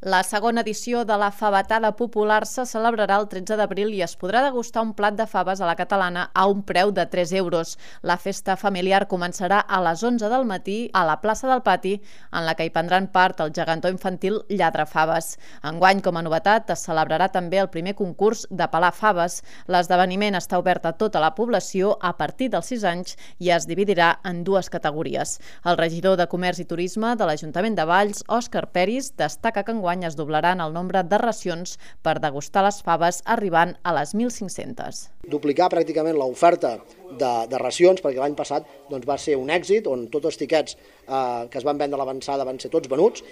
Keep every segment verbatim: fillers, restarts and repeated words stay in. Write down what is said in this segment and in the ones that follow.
La segona edició de la favetada popular se celebrarà el tretze d'abril i es podrà degustar un plat de faves a la catalana a un preu de tres euros. La festa familiar començarà a les onze del matí a la plaça del Pati, en la que hi prendran part el gegantó infantil Lladrafaves. Enguany, com a novetat, es celebrarà també el primer concurs de pelar faves. L'esdeveniment està obert a tota la població a partir dels sis anys i es dividirà en dues categories. El regidor de Comerç i Turisme de l'Ajuntament de Valls, Òscar Peris, destaca que enguany es doblaran el nombre de racions per degustar les faves, arribant a les mil cinc-centes. Duplicar pràcticament l'oferta de, de racions, perquè l'any passat doncs, va ser un èxit, on tots els tiquets eh, que es van vendre a l'avançada van ser tots venuts.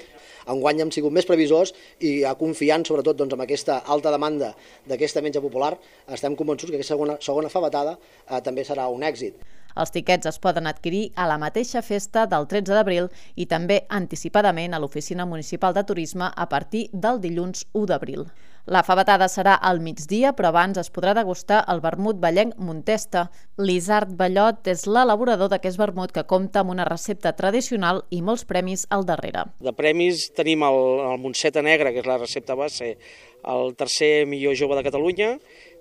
Enguany hem sigut més previsors i confiant sobretot doncs, en aquesta alta demanda d'aquesta menja popular, estem convençuts que aquesta segona, segona favetada eh, també serà un èxit. Els tiquets es poden adquirir a la mateixa festa del tretze d'abril i també anticipadament a l'Oficina Municipal de Turisme a partir del dilluns u d'abril. La favetada serà al migdia, però abans es podrà degustar el vermut vallenc Montesta. L'Isard Ballot és l'elaborador d'aquest vermut que compta amb una recepta tradicional i molts premis al darrere. De premis tenim el, el Montseta Negra, que és la recepta base, el tercer millor jove de Catalunya,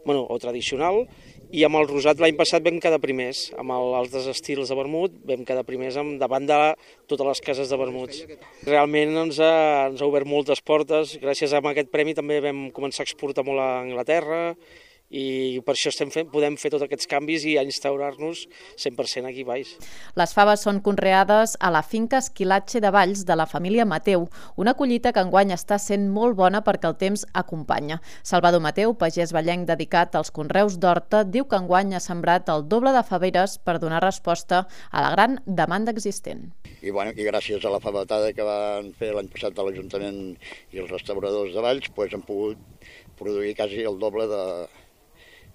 bueno, o tradicional, i amb el rosat l'any passat vam quedar primers, amb els altres estils de vermut vam quedar primers davant de totes les cases de vermuts. Realment ens ha, ens ha obert moltes portes, gràcies a aquest premi també vam començar a exportar molt a Anglaterra i per això estem fent, podem fer tots aquests canvis i a instaurar-nos cent per cent aquí baix. Les faves són conreades a la finca Esquilatge de Valls de la família Mateu, una collita que enguany està sent molt bona perquè el temps acompanya. Salvador Mateu, pagès vallenc dedicat als conreus d'horta, diu que enguany ha sembrat el doble de faveres per donar resposta a la gran demanda existent. I, bueno, i gràcies a la favetada que van fer l'any passat a l'Ajuntament i els restauradors de Valls, doncs hem pogut produir quasi el doble de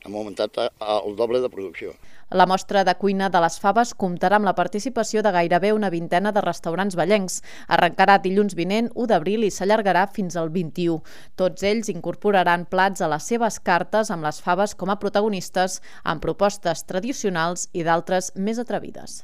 hem augmentat el doble de producció. La mostra de cuina de les faves comptarà amb la participació de gairebé una vintena de restaurants vallencs. Arrencarà dilluns vinent, u d'abril, i s'allargarà fins al vint-i-u. Tots ells incorporaran plats a les seves cartes amb les faves com a protagonistes, amb propostes tradicionals i d'altres més atrevides.